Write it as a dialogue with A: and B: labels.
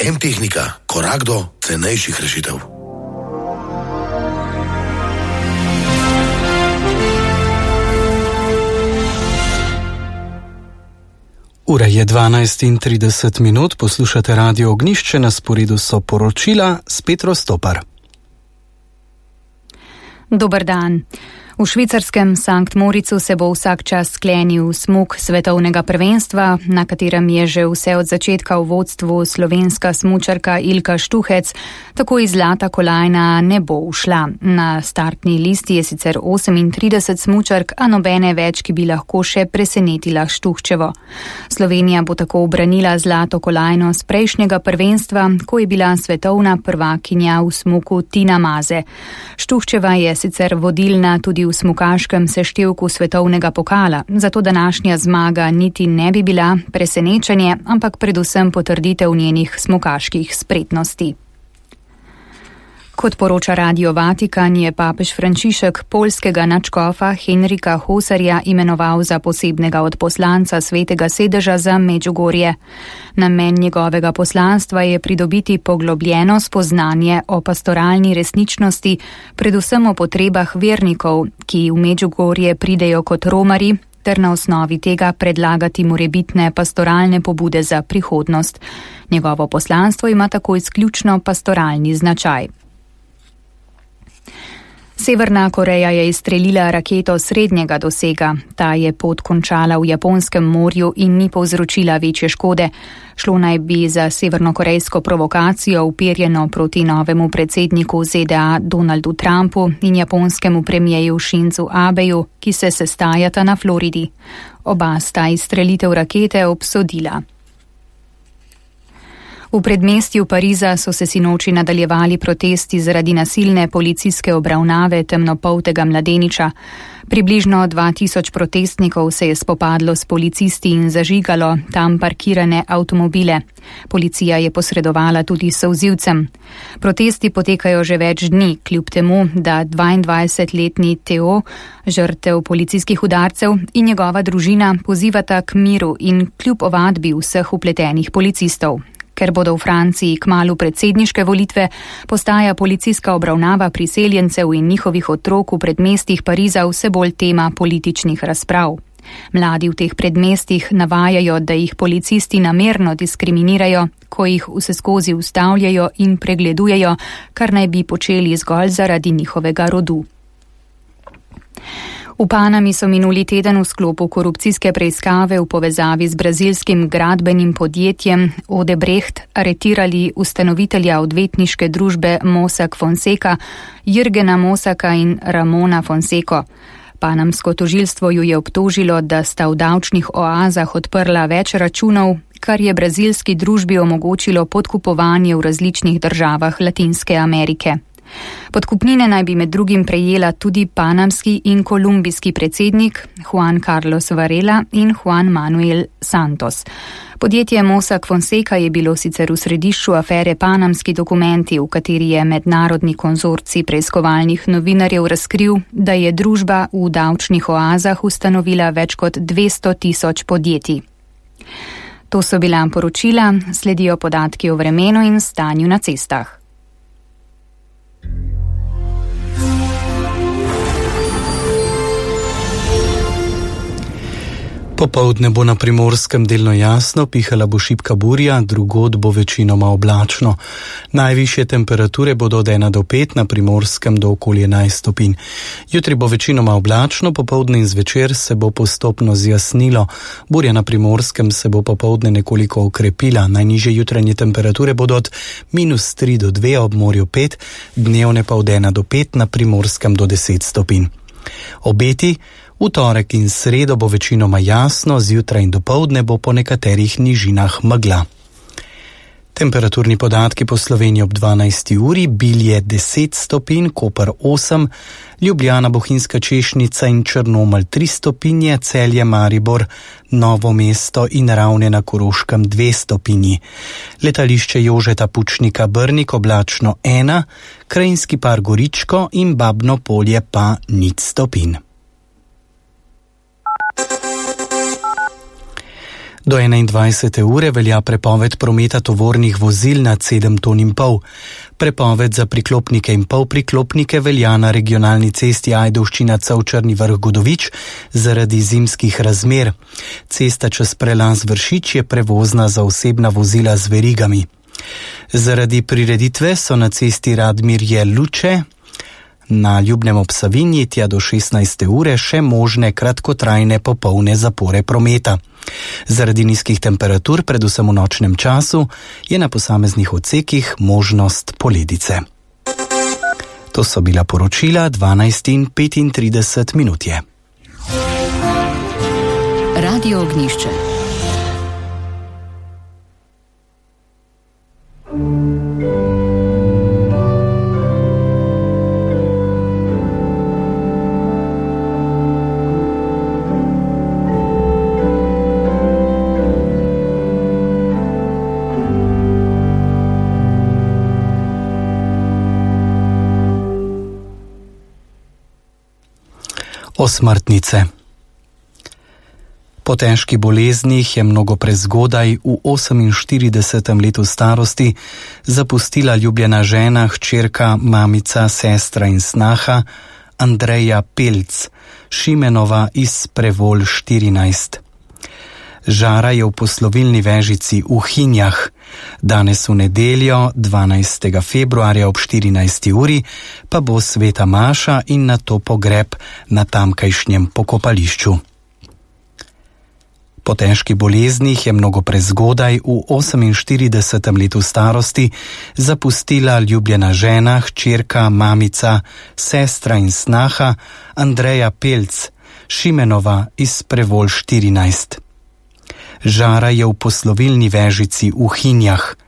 A: M-tehnika, korak do cenejših rešitev.
B: Ura je 12:30, poslušate Radio Ognjišče, na sporedu so poročila s Petro Stopar.
C: Dober dan. V švicarskem Sankt Moricu se bo vsak čas sklenil smuk svetovnega prvenstva, na katerem je že vse od začetka v vodstvu slovenska smučarka Ilka Štuhec, tako iz zlata kolajna ne bo ušla. Na startni listi je sicer 38 smučark, a nobene več, ki bi lahko še presenetila Štuhčevo. Slovenija bo tako ubranila zlato kolajno z prejšnjega prvenstva, ko je bila svetovna prvakinja v smuku Tina Maze. Štuhčeva je sicer vodilna tudi v smukaškem seštevku svetovnega pokala, zato današnja zmaga niti ne bi bila presenečenje, ampak predvsem potrditev njenih smukaških spretnosti. Kot poroča Radio Vatikan, je papež Frančišek poljskega nadškofa Henrika Hosarja imenoval za posebnega odposlanca Svetega sedeža za Medžugorje. Namen njegovega poslanstva je pridobiti poglobljeno spoznanje o pastoralni resničnosti, predvsem o potrebah vernikov, ki v Medžugorje pridejo kot romarji, ter na osnovi tega predlagati morebitne pastoralne pobude za prihodnost. Njegovo poslanstvo ima tako izključno pastoralni značaj. Severna Koreja je izstrelila raketo srednjega dosega. Ta je pot končala v Japonskem morju in ni povzročila večje škode. Šlo naj bi za severnokorejsko provokacijo uperjeno proti novemu predsedniku ZDA Donaldu Trumpu in japonskemu premijeju Shinzu Abeju, ki se sestajata na Floridi. Oba sta izstrelitev rakete obsodila. V predmestju Pariza so se sinoči nadaljevali protesti zaradi nasilne policijske obravnave temnopoltega mladeniča. Približno 2000 protestnikov se je spopadlo s policisti in zažigalo tam parkirane avtomobile. Policija je posredovala tudi solzivcem. Protesti potekajo že več dni, kljub temu, da 22-letni Teo, žrtev policijskih udarcev, in njegova družina pozivata k miru in kljub ovadbi vseh vpletenih policistov. Ker bodo v Franciji kmalu predsedniške volitve, postaja policijska obravnava priseljencev in njihovih otrok v predmestih Pariza vse bolj tema političnih razprav. Mladi v teh predmestih navajajo, da jih policisti namerno diskriminirajo, ko jih vseskozi ustavljajo in pregledujejo, kar naj bi počeli zgolj zaradi njihovega rodu. V Panami so minuli teden v sklopu korupcijske preiskave v povezavi z brazilskim gradbenim podjetjem Odebrecht aretirali ustanovitelja odvetniške družbe Mossack Fonseca, Jürgena Mossaka in Ramona Fonseco. Panamsko tožilstvo ju je obtožilo, da sta v davčnih oazah odprla več računov, kar je brazilski družbi omogočilo podkupovanje v različnih državah Latinske Amerike. Podkupnine naj bi med drugim prejela tudi panamski in kolumbijski predsednik Juan Carlos Varela in Juan Manuel Santos. Podjetje Mossack Fonseca je bilo sicer v središču afere Panamski dokumenti, v kateri je mednarodni konzorcij preiskovalnih novinarjev razkril, da je družba v davčnih oazah ustanovila več kot 200 000 podjetij. To so bila poročila, sledijo podatki o vremenu in stanju na cestah.
B: Popoldne bo na Primorskem delno jasno, pihala bo šibka burja, drugod bo večinoma oblačno. Najvišje temperature bodo od 1 do 5, na Primorskem do okoli 11 stopinj. Jutri bo večinoma oblačno, popoldne in zvečer se bo postopno zjasnilo. Burja na Primorskem se bo popoldne nekoliko okrepila. Najnižje jutranje temperature bodo od -3 do 2, ob morju 5, dnevne pa od 1 do 5, na Primorskem do 10 stopinj. Obeti: v torek in sredo bo večinoma jasno, zjutraj in dopoldne bo po nekaterih nižinah megla. Temperaturni podatki po Sloveniji ob 12. uri: Bilje 10 stopinj, Koper 8, Ljubljana, Bohinjska Češnica in Črnomelj 3 stopinje, Celje, Maribor, Novo mesto in Ravne na Koroškem 2 stopinji. Letališče Jožeta Pučnika Brnik oblačno 1, Krajinski par Goričko in Babno Polje pa 0 stopinj. Do 21. ure velja prepoved prometa tovornih vozil nad 7,5 ton. Prepoved za priklopnike in polpriklopnike velja na regionalni cesti Ajdovščina-Črni Vrh-Godovič zaradi zimskih razmer. Cesta čez prelaz Vršič je prevozna za osebna vozila z verigami. Zaradi prireditve so na cesti Radmirje-Luče na Ljubnem ob Savinji tja do 16. ure še možne kratkotrajne popolne zapore prometa. Zaradi nizkih temperatur, predvsem v nočnem času, je na posameznih odsekih možnost poledice. To so bila poročila 12:35 je.
C: Radio Ognjišče.
B: Osmrtnice. Po težkih boleznih je mnogo prezgodaj v 48. letu starosti zapustila ljubljena žena, hčerka, mamica, sestra in snaha Andreja Pelc, Šimenova iz Prevolj 14. Žara je v poslovilni vežici v Hinjah. Danes v nedeljo, 12. februarja ob 14. uri, pa bo sveta maša in nato pogreb na tamkajšnjem pokopališču. Po težkih boleznih je mnogo prezgodaj v 48. letu starosti zapustila ljubljena žena, hčerka, mamica, sestra in snaha Andreja Pelc, Šimenova iz Prevolj 14. Žara je v poslovilni vežici v Hinjah.